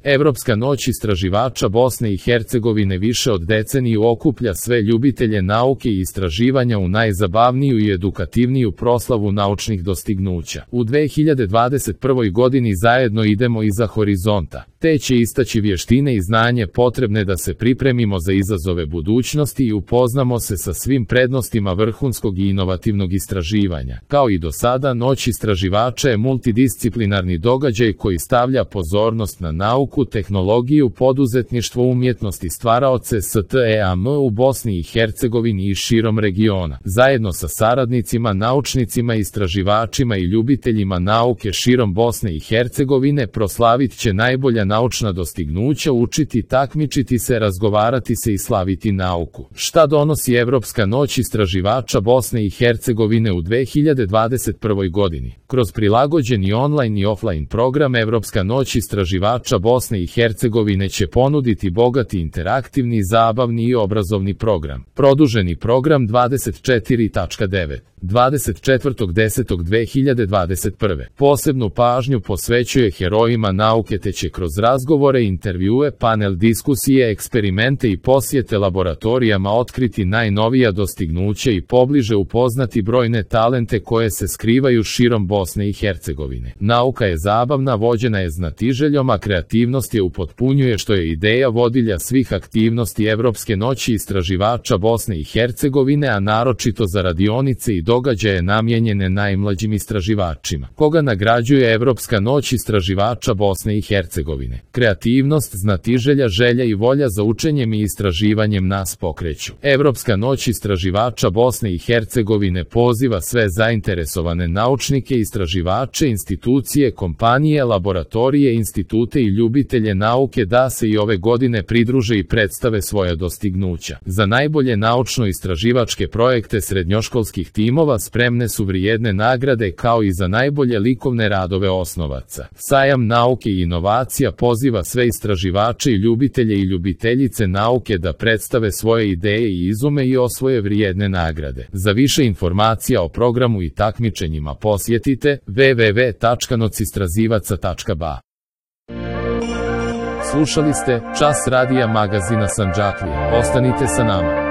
Evropska noć istraživača Bosne i Hercegovine više od deceniju okuplja sve ljubitelje nauke i istraživanja u najzabavniju i edukativniju proslavu naučnih dostignuća. U 2021. godini zajedno idemo iza horizonta, te će istaći vještine i znanje potrebne da se pripremimo za izazove budućnosti i upoznamo se sa svim prednostima vrhunskog i inovativnog istraživanja. Kao i do sada, noć istraživača je multidisciplinarni događaj koji stavlja pozornost na nauku, tehnologiju, poduzetništvo, umjetnost i stvaraoce STEAM u Bosni i Hercegovini i širom regiona. Zajedno sa saradnicima, naučnicima, istraživačima i ljubiteljima nauke širom Bosne i Hercegovine proslavit će najbolja naučna dostignuća, učiti, takmičiti se, razgovarati se i slaviti nauku. Šta donosi Evropska noć istraživača Bosne i Hercegovine u 2021. godini? Kroz prilagođeni online i offline program Evropska noć istraživača Bosne i Hercegovine će ponuditi bogati interaktivni, zabavni i obrazovni program. Produženi program 24.9. 24.10.2021. Posebnu pažnju posvećuje herojima nauke te će kroz razgovore, intervjue, panel diskusije, eksperimente i posjete laboratorijama otkriti najnovija dostignuća i pobliže upoznati brojne talente koje se skrivaju širom Bosne i Hercegovine. Nauka je zabavna, vođena je znatiželjom, a kreativnost je upotpunjuje, što je ideja vodilja svih aktivnosti Evropske noći istraživača Bosne i Hercegovine, a naročito za radionice i događaje namijenjene najmlađim istraživačima. Koga nagrađuje Evropska noć istraživača Bosne i Hercegovine? Kreativnost, znatiželja, želja i volja za učenjem i istraživanjem nas pokreću. Evropska noć istraživača Bosne i Hercegovine poziva sve zainteresovane naučnike, istraživače, institucije, kompanije, laboratorije, institute i ljubitelje nauke da se i ove godine pridruže i predstave svoja dostignuća. Za najbolje naučno-istraživačke projekte srednjoškolskih timova spremne su vrijedne nagrade, kao i za najbolje likovne radove osnovaca. Sajam nauke i inovacija poziva sve istraživače i ljubitelje i ljubiteljice nauke da predstave svoje ideje i izume i osvoje vrijedne nagrade. Za više informacija o programu i takmičenjima posjetite www.nocistrazivaca.ba. Slušali ste Čas radija magazina Sandžaklija. Ostanite sa nama.